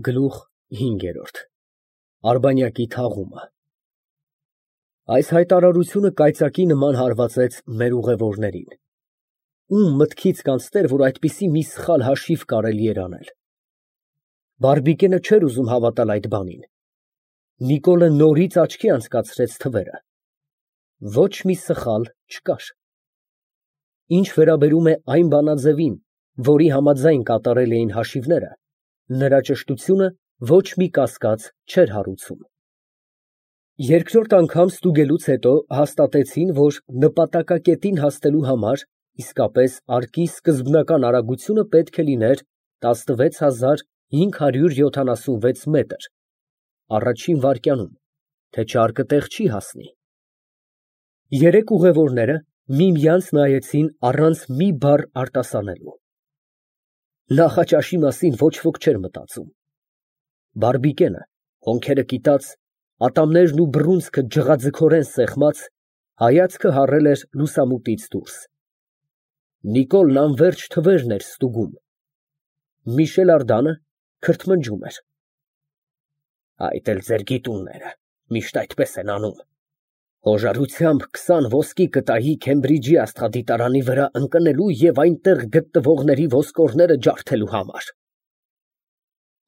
Գլուխ 5 Արբանյակի թաղումը Այս հայտարարությունը կայծակի նման հարվածեց մեր ուղևորներին։ Ում մտքից կանցներ, որ այդպիսի մի սխալ հաշիվ կարելի էր անել։ Բարբիկենը չէր ուզում հավատալ այդ բանին։ Նիկոլը նորից աչքի անցկացրեց թվերը։ Ոչ մի սխալ չկար։ Ինչ վերաբերում է այն բանաձևին, որի համաձայն կատարել էին հաշիվները, նրա ճշտությունը ոչ մի կասկած չէր հարուցում։ Երկրորդ անգամ ստուգելուց հետո հաստատեցին, որ նպատակակետին հասնելու համար իսկապես արկի սկզբնական արագությունը պետք է լիներ 16576 մետր առաջին վայրկյանում, թե չարկը տեղ չի հասնի։ Երեք ուղևորները միմյանց նայեցին առանց մի բառ արտասանելու։ Նախաճաշի մասին ոչ ոք չէր մտածում։ Բարբիկենը, հոնքերը կիտած, ատամներն ու բռունցքը ջղաձգորեն սեղմած, հայացքը հառել էր լուսամուտից դուրս։ Նիկոլն անվերջ թվերն էր ստուգում։ Միշել Ардանը քրթմնջում էր։ Այդ էլ ձեր գիտունները միշտ այդպես են անում։ Հոժարությամբ 20 ոսկի կտայի Քեմբրիջի աստղադիտարանի վրա ընկնելու և այնտեղ գտնվողների ոսկորները ջարդելու համար։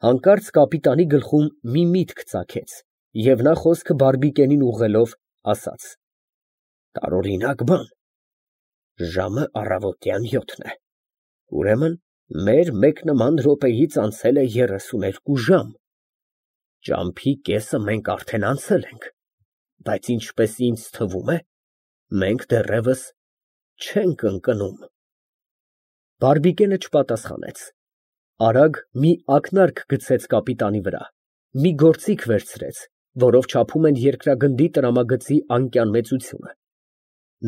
Հանկարծ կապիտանի գլխում մի միտք ծագեց, և նա խոսքը Բարբիկենին ուղղելով ասաց. Տարօրինակ բան, ժամը առավոտյան 7-ն է, ուրեմն մեր մեկ նման րոպեից անցել է 32 ժամ, ճամփի կեսը մենք արդեն անցել ենք, բայց ինչպես ինձ թվում է, մենք դեռևս չենք ընկնում։ Բարբիկենը չպատասխանեց, արագ մի ակնարկ գցեց կապիտանի վրա, մի գործիք վերցրեց, որով չափում են երկրագնդի տրամագծի անկյան մեծությունը,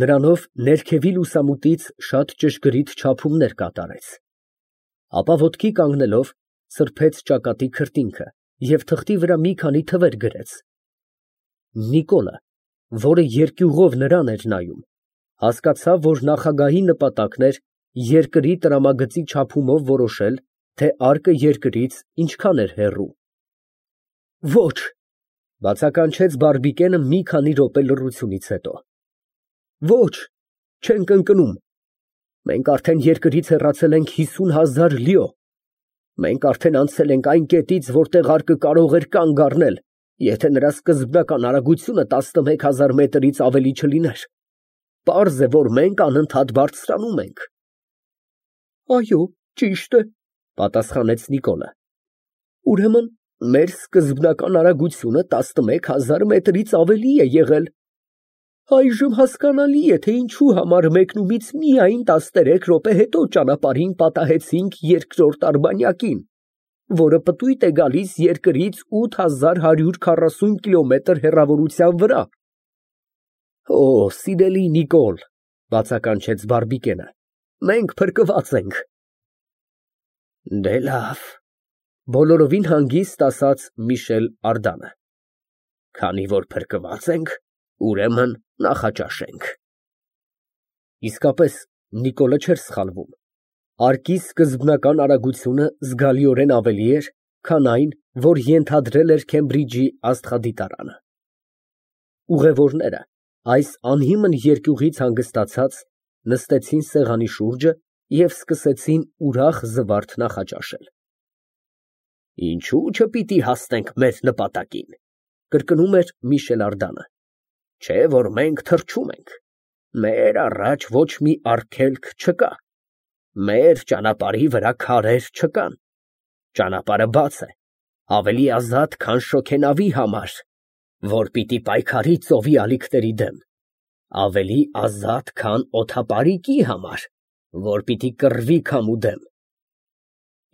նրանով ներքևի լուսամուտից շատ ճշգրիտ չափումներ կատարեց, ապա ոտքի կանգնելով սրբեց ճակատի քրտինքը և թղթի վրա մի քանի թվեր գրեց։ Նիկոլը, որը երկյուղով նրան էր նայում, հասկացավ, որ նախագահի նպատակն էր երկրի տրամագծի չափումով որոշել, թե արկը երկրից ինչքան էր հեռու։ Ոչ, բացականչեց Բարբիկենը մի քանի րոպե լռությունից հետո։ Ոչ, չենք ընկնում։ Մենք արդեն երկրից հեռացել ենք 50,000 լիո։ Մենք արդեն անցել ենք այն կետից, որտեղ արկը կարող էր կանգ առնել, եթե նրա սկզբնական արագությունը 11000 մետրից ավելի չլիներ։ Պարզ է, որ մենք անընդհատ բարձրանում ենք։ Այո, ճիշտ է, պատասխանեց Նիկոլը։ Ուրեմն մեր սկզբնական արագությունը 11000 մետրից ավելի է եղել։ Այժմ հասկանալի է, թե ինչու համար մեկնումից միայն 13 րոպե հետո ճանապարհին պատահեցինք երկրորդ արբանյակին, որը պտույտ է գալիս երկրից 8140 կիլոմետր հեռավորության վրա։ Օ, սիրելի Նիկոլ, բացականչեց Բարբիկենը, մենք փրկված ենք։ Դե լավ, բոլորովին հանգիստ ասաց Միշել Ардանը։ Քանի որ փրկված ենք, ուրեմն նախաճաշենք։ Իսկապես Նիկոլը չէր սխալվում։ Արկի սկզբնական արագությունը զգալիորեն ավելի էր, քան այն, որ ենթադրել էր Քեմբրիջի աստղադիտարանը։ Ուղևորները, այս անհիմն երկյուղից հանգստացած, նստեցին սեղանի շուրջը և սկսեցին ուրախ զվարթ նախաճաշել։ Ինչու չպիտի հասնենք մեր նպատակին, կրկնում էր Միշել Ардանը, չէ որ մենք թռչում ենք, մեր առաջ ոչ մի արգելք չկա, մեր ճանապարհի վրա քարեր չկան, ճանապարհը բաց է, ավելի ազատ, քան շոգենավի համար, որ պիտի պայքարի ծովի ալիքների դեմ, ավելի ազատ, քան օդապարիկի համար, որ պիտի կռվի քամու դեմ։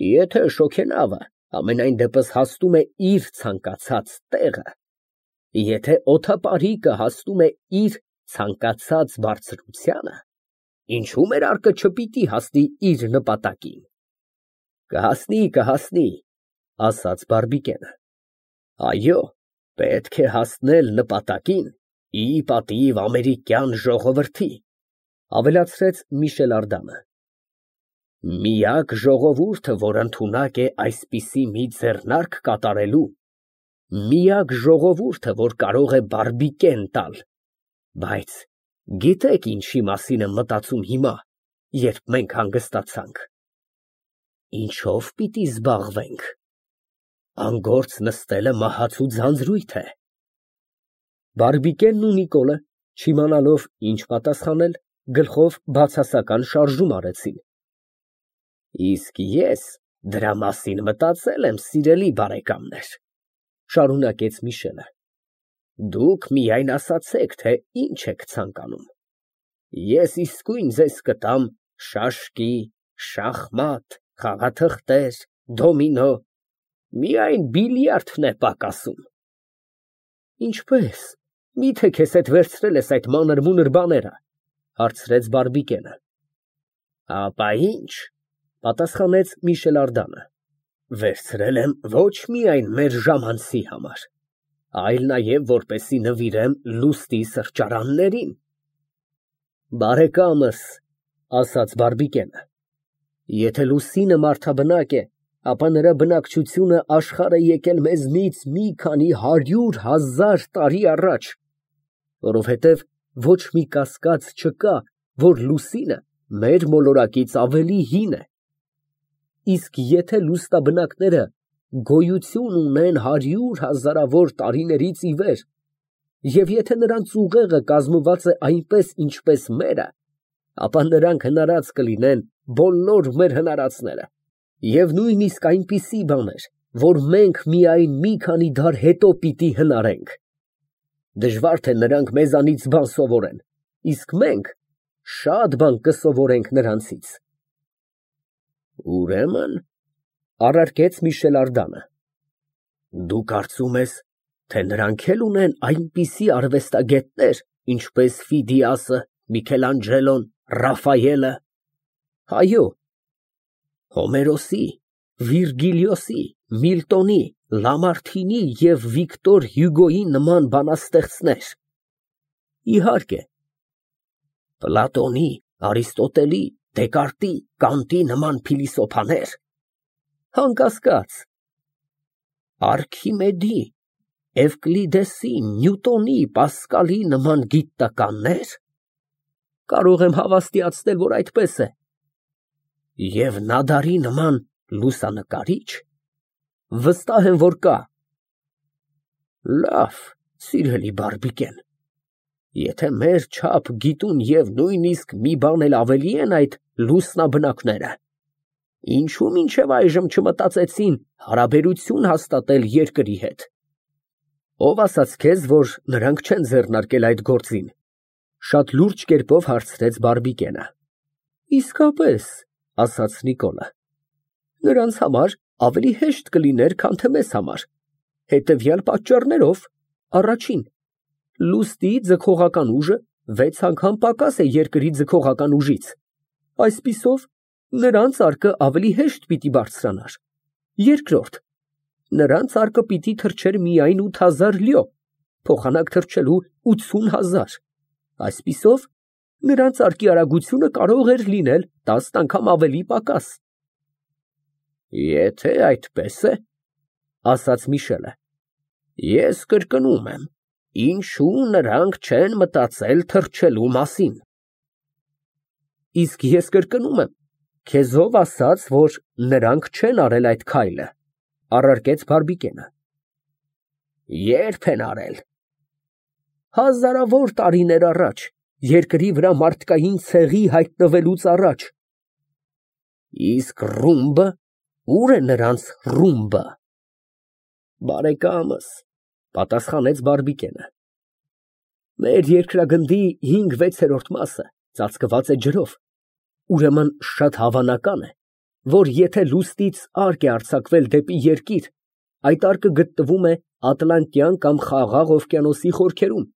Եթե շոգենավը ամենայն դեպս հասնում է իր ցանկացած տեղը, եթե օդապարիկը հասնում է իր ցանկացած բարձրությանը, ինչու մեր արկը չպիտի հասնի իր նպատակին։ Կհասնի, ասաց Բարբիկենը։ Այո, պետք է հասնել նպատակին ի պատիվ ամերիկյան ժողովրդի, ավելացրեց Միշել Ардանը։ Միակ ժողովուրդը, որ ընդունակ է այսպիսի մի ձեռնարկ կատարելու, միակ ժողովուրդը, որ կարող է բարբիկեն տալ, բայց գիտեք ինչի մասին եմ մտածում հիմա, երբ մենք հանգստացանք, ինչով պիտի զբաղվենք, անգործ նստելը մահացու ձանձրույթ է։ Բարբիկենն ու Նիկոլը, չիմանալով ինչ պատասխանել, գլխով բացասական շարժում արեցին։ Իսկ ես դրա մասին մտածել եմ, սիրելի բարեկամներ, շարունակեց Միշելը, դուք միայն ասացեք, թե ինչ եք ցանկանում։ Ես իսկույն ձեզ կտամ շաշկի, շախմատ, խաղաթղթեր, դոմինո, միայն բիլիարդն է պակասում։ Ինչպես, միթե քեզ հետ վերցրել ես այդ մանր-մունր բաները, հարցրեց Բարբիկենը։ Ապա ինչ, պատասխանեց Միշել Ардանը, վերցրել եմ ոչ միայն մեր ժամանցի համար, այլ նաև որպեսզի նվիրեմ լուստի սրճարաններին։ Բարեկամս, ասաց Բարբիկենը, եթե լուսինը մարդաբնակ է, ապա նրա բնակչությունը աշխարհ է եկել մեզնից մի քանի 100,000 տարի առաջ, որովհետև ոչ մի կասկած չկա, որ լուսինը մեր մոլորակից ավելի հին է։ Իսկ եթե լուստաբնակները գոյություն ունեն 100,000 տարիներից ի վեր, և եթե նրանց ուղեղը կազմված է այնպես, ինչպես մերը, ապա նրանք հնարած կլինեն բոլոր մեր հնարածները, և նույնիսկ այնպիսի բաներ, որ մենք միայն մի քանի դար հետո պիտի հնարենք։ Դժվար թե նրանք մեզանից բան սովորեն, իսկ մենք շատ բան կսովորենք նրանցից։ Ուրեմն, առարկեց Միշել Ардանը, դու կարծում ես, թե նրանք էլ ունեն այնպիսի արվեստագետներ, ինչպես Ֆիդիասը, Միքելանջելոն, Ռաֆայելը։ Այո, Հոմերոսի, Վիրգիլիոսի, Միլտոնի, Լամարտինի և Վիկտոր Հյուգոյի նման բանաստեղծներ։ Իհարկե, Պլատոնի, Արիստոտելի, Դեկարտի, Կանտի նման փիլիսոփաներ։ Անկասկած, Արքիմեդի, Էվկլիդեսի, Նյուտոնի, Պասկալի նման գիտնականներ։ Կարող եմ հավաստիացնել, որ այդպես է։ Եվ Նադարի նման լուսանկարիչ։ Վստահ եմ, որ կա։ Լավ, սիրելի Բարբիկեն, եթե մեր չափ գիտուն և նույնիսկ մի բան էլ ավելի են այդ լուսնաբնակները, ինչու մինչև այժմ չմտածեցին հարաբերություն հաստատել երկրի հետ։ Ով ասաց քեզ, որ նրանք չեն ձեռնարկել այդ գործին, շատ լուրջ կերպով հարցրեց Բարբիկենը։ Իսկապես, ասաց Նիկոլը, նրանց համար ավելի հեշտ կլիներ, քան թե մեզ համար, հետևյալ պատճառներով. առաջին, լուստի ձգողական ուժը 6 անգամ պակաս է երկրի ձգողական ուժից, այսպիսով նրանց արկը ավելի հեշտ պիտի բարձրանար։ Երկրորդ, նրանց արկը պիտի թռչեր միայն 8000 լյո, փոխանակ թռչելու 80,000, այսպիսով նրանց արկի արագությունը կարող էր լինել 10 անգամ ավելի պակաս։ Եթե այդպես է, ասաց Միշելը, ես կրկնում եմ, ինչու նրանք չեն մտածել թռչելու մասին։ Իսկ ես կրկնում եմ, քեզ ով ասաց, որ նրանք չեն արել այդ քայլը, առարկեց Բարբիկենը։ Երբ են արել։ Հազարավոր տարիներ առաջ, երկրի վրա մարդկային ցեղի հայտնվելուց առաջ։ Իսկ ռումբը, ուր է նրանց ռումբը։ Բարեկամս, պատասխանեց Բարբիկենը, մեր երկրագնդի 5/6 մասը ծածկված է ջրով, ուրեմն շատ հավանական է, որ եթե լուստից արկ է արձակվել դեպի երկիր, այդ արկը գտնվում է Ատլանտյան կամ Խաղաղ օվկիանոսի խորքերում,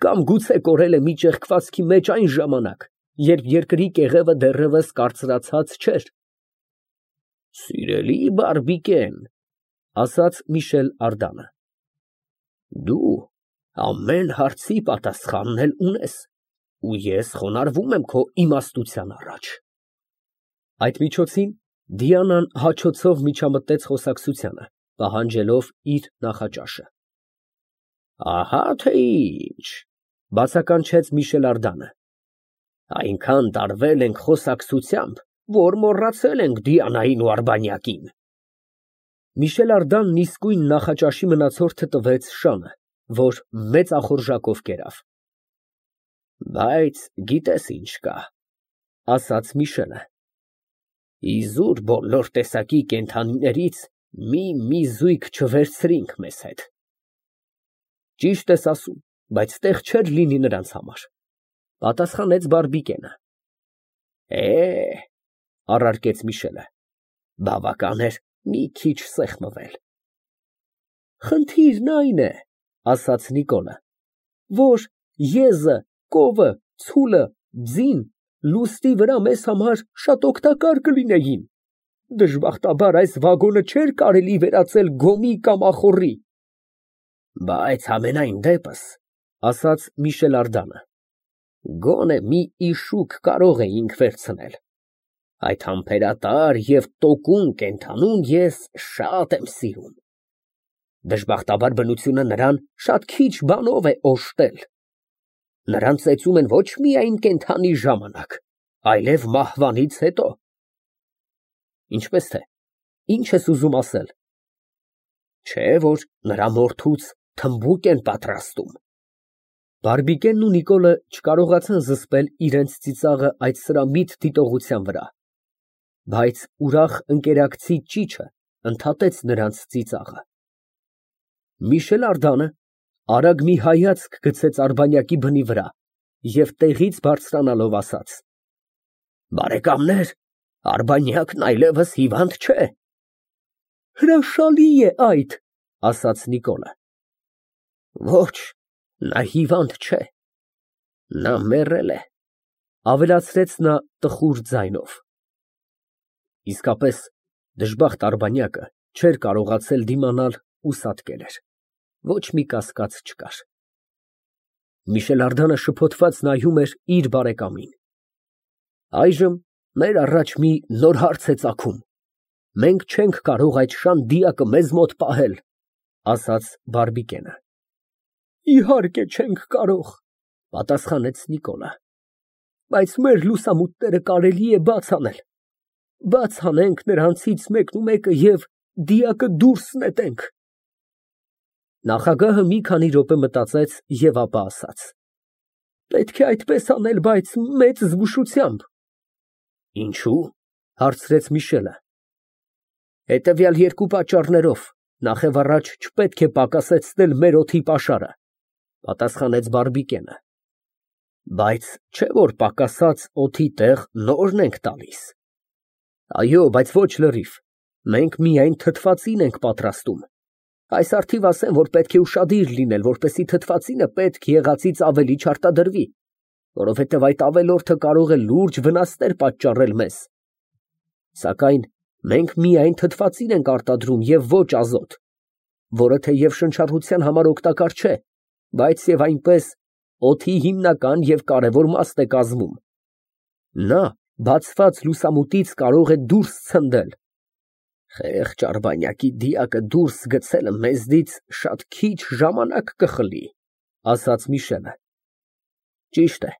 կամ գուցե կորել է մի ճեղքվածքի մեջ այն ժամանակ, երբ երկրի կեղևը դեռևս կարծրացած չէր։ Սիրելի Բարբիկեն, ասաց Միշել Ардանը, դու ամեն հարցի պատասխանն էլ ունես, ու ես խոնարհվում եմ քո իմաստության առաջ։ Այդ միջոցին Դիանան հաչոցով միջամտեց խոսակցությանը, պահանջելով իր նախաճաշը։ Ահա թե ինչ, բացականչեց Միշել Արդանը։ Այնքան տարվել ենք խոսակցությամբ, որ մոռացել ենք Դիանային ու Արբանյակին։ Միշել Արդանն իսկույն նախաճաշի մնացորդը տվեց Շանը, որ մեծ ախորժակով կերավ։ Բայց գիտես ինչ կա, ասաց Միշելը։ Իզուր բոլոր տեսակի կենդանիներից մի զույգ չվերցրինք մեզ հետ։ Ճիշտ ես ասում, բայց տեղ չէր լինի նրանց համար, պատասխանեց Բարբիկենը։ Առարկեց Միշելը, բավական էր մի քիչ սեղմվել։ Խնդիրն այն է, ասաց Նիկոլը, որ եզը, կովը, ցուլը, ձին լուստի վրա մեզ համար շատ օգտակար կլինեին։ Դժբախտաբար այս վագոնը չէր կարելի վերածել գոմի կամ ախոռի։ Բայց ամենայն դեպս, ասաց Միշել Ардանը, գոնե մի իշուկ կարող էինք վերցնել։ Այդ համբերատար եւ տոկուն կենդանուն ես շատ եմ սիրում։ Դժբախտաբար բնությունը նրան շատ քիչ բանով է օժտել։ Նրան ծեծում են ոչ միայն կենդանի ժամանակ, այլև մահվանից հետո։ Ինչպես թե, ինչ ես ուզում ասել։ Չէ, որ նրա մորթուց թմբուկ են պատրաստում։ Բարբիկենն ու Նիկոլը չկարողացան զսպել իրենց ծիծաղը այդ սրամիտ դիտողության վրա, բայց ուրախ ընկերակցի ճիչը ընդհատեց նրանց ծիծաղը։ Միշել Ардանը արագ մի հայացք գցեց Արբանյակի բնի վրա և տեղից բարձրանալով ասաց. Բարեկամներ, Արբանյակն այլևս հիվանդ չէ։ Հրաշալի է այդ, ասաց Նիկոլը։ Ոչ, նա հիվանդ չէ, նա մեռել է, ավելացրեց նա տխուր ձայնով։ Իսկապես, դժբախտ Արբանյակը չէր կարողացել դիմանալ ու սատկել էր, ոչ մի կասկած չկար։ Միշել Ардանը շփոթված նայում էր իր բարեկամին։ Այժմ մեր առաջ մի նոր հարց է ծագում։ Մենք չենք կարող այդ շան դիակը մեզ մոտ պահել, ասաց Բարբիկենը։ Իհարկե չենք կարող, պատասխանեց Նիկոլը։ Բայց մեր լուսամուտները կարելի է բաց անել։ Բաց անենք նրանցից մեկը և դիակը դուրս նետենք։ Նախագահը մի քանի րոպե մտածեց և ապա ասաց. Պետք է այդպես անել, բայց մեծ զգուշությամբ։ Ինչու՞, հարցրեց Միշելը։ Հետևյալ երկու պատճառներով, նախևառաջ չպետք է պակասեցնել մեր օդի պաշարը, պատասխանեց Բարբիկենը։ Բայց չէ որ պակասած օդի տեղ նորն ենք տալիս։ Այո, բայց ոչ լրիվ, մենք միայն թթվածին ենք պատրաստում։ Այս առթիվ ասեմ, որ պետք է ուշադիր լինել, որպեսզի թթվածինը պետք եղածից ավելի չարտադրվի, որովհետև այդ ավելորդը կարող է լուրջ վնասներ պատճառել մեզ։ Սակայն մենք միայն թթվածին ենք արտադրում և ոչ ազոտ, որը թեև շնչառության համար օգտակար չէ, բայց և այնպես օդի հիմնական և կարևոր մասն է կազմում։ Նա բացված լուսամուտից կարող է դուրս ցնդել։ Խեղճ Արբանյակի դիակը դուրս գցելը մեզնից շատ քիչ ժամանակ կխլի, ասաց Միշելը։ Ճիշտ է,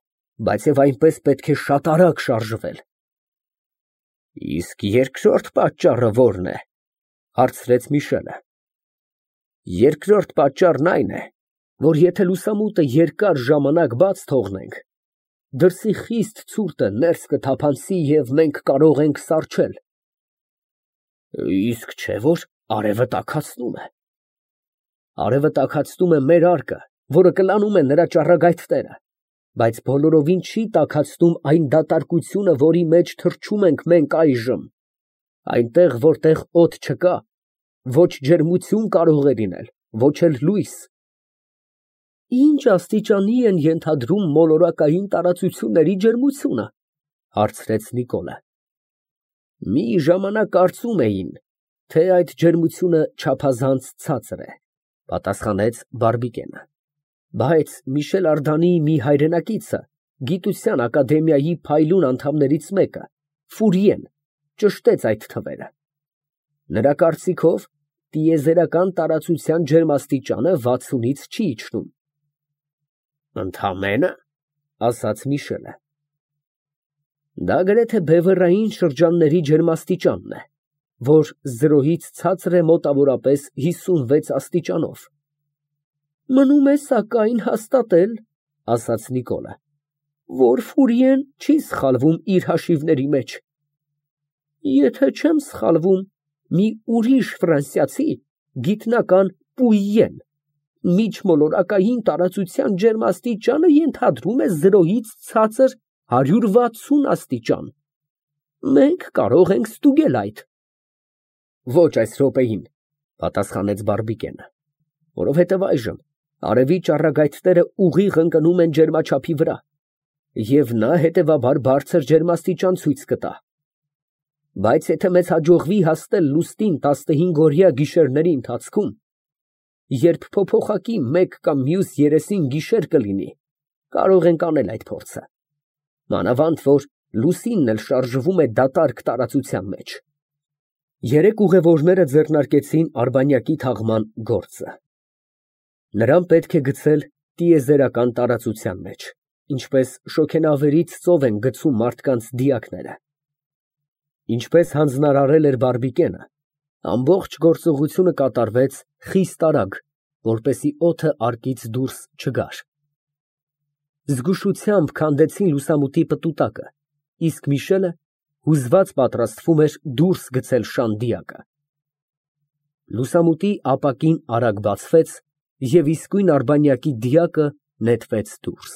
բայց և այնպես պետք է շատ արագ շարժվել։ Իսկ երկրորդ պատճառը ո՞րն է, հարցրեց Միշելը։ Երկրորդ պատճառն այն է, որ եթե լուսամուտը երկար ժամանակ բաց թողնենք, դրսի խիստ ցուրտը ներս կթափանցի և մենք կարող ենք սառչել։ Իսկ չէ որ արևը տաքացնում է։ Արևը տաքացնում է մեր արկը, որը կլանում է նրա ճառագայթները, բայց բոլորովին չի տաքացնում այն դատարկությունը, որի մեջ թռչում ենք մենք այժմ։ Այնտեղ, որտեղ օդ չկա, ոչ ջերմություն կարող է լինել, ոչ էլ լույս։ Ինչ աստիճանի են ենթադրում մոլորակային տարածությունների ջերմությունը, հարցրեց Նիկոլը։ Մի ժամանակ կարծում էին, թե այդ ջերմությունը չափազանց ցածր է, պատասխանեց Բարբիկենը։ Բայց Միշել Ардանի մի հայրենակիցը, գիտության ակադեմիայի փայլուն անդամներից մեկը, Ֆուրիեն, ճշտեց այդ թվերը։ Նրա կարծիքով տիեզերական տարածության ջերմաստիճանը 60-ից չի իջնում։ Ընդամենը, ասաց Միշելը։ Դա գրեթե բևեռային շրջանների ջերմաստիճանն է, որ 0-ից ցածր է մոտավորապես 56 աստիճանով։ Մնում է սակայն հաստատել, ասաց Նիկոլը, որ Ֆուրիեն չի սխալվում իր հաշիվների մեջ։ Եթե չեմ սխալվում, մի ուրիշ ֆրանսիացի, գիտնական Պուիեն, միջմոլորակային տարածության ջերմաստիճանը ենթադրում է 0-ից ցածր 160 աստիճան։ Մենք կարող ենք ստուգել այդ։ Ոչ այս րոպեին, պատասխանեց Բարբիկենը, որովհետև այժմ արևի ճառագայթները ուղիղ ընկնում են ջերմաչափի վրա, և նա հետևաբար բարձր ջերմաստիճան ցույց կտա։ Բայց եթե մեզ հաջողվի հասնել լուսնին 15-օրյա գիշերների ընթացքում, երբ փոփոխակի մեկ կամ մյուս երեսին գիշեր կլինի, կարող ենք անել այդ փորձը։ Մանավանդ որ լուսինն էլ շարժվում է դատարկ տարածության մեջ։ Երեք ուղևորները ձեռնարկեցին արբանյակի թաղման գործը։ Նրան պետք է գցել տիեզերական տարածության մեջ, ինչպես շոգենավերից ծով են գցում մարդկանց դիակները։ Ինչպես հանձնարարել էր Բարբիկենը, ամբողջ գործողությունը կատարվեց խիստ արագ, որպեսզի օդը արկից դուրս չգար։ Զգուշությամբ քանդեցին լուսամուտի պտուտակը, իսկ Միշելը հուզված պատրաստվում էր դուրս գցել շան դիակը։ Լուսամուտի ապակին արագ բացվեց, և իսկույն արբանյակի դիակը նետվեց դուրս։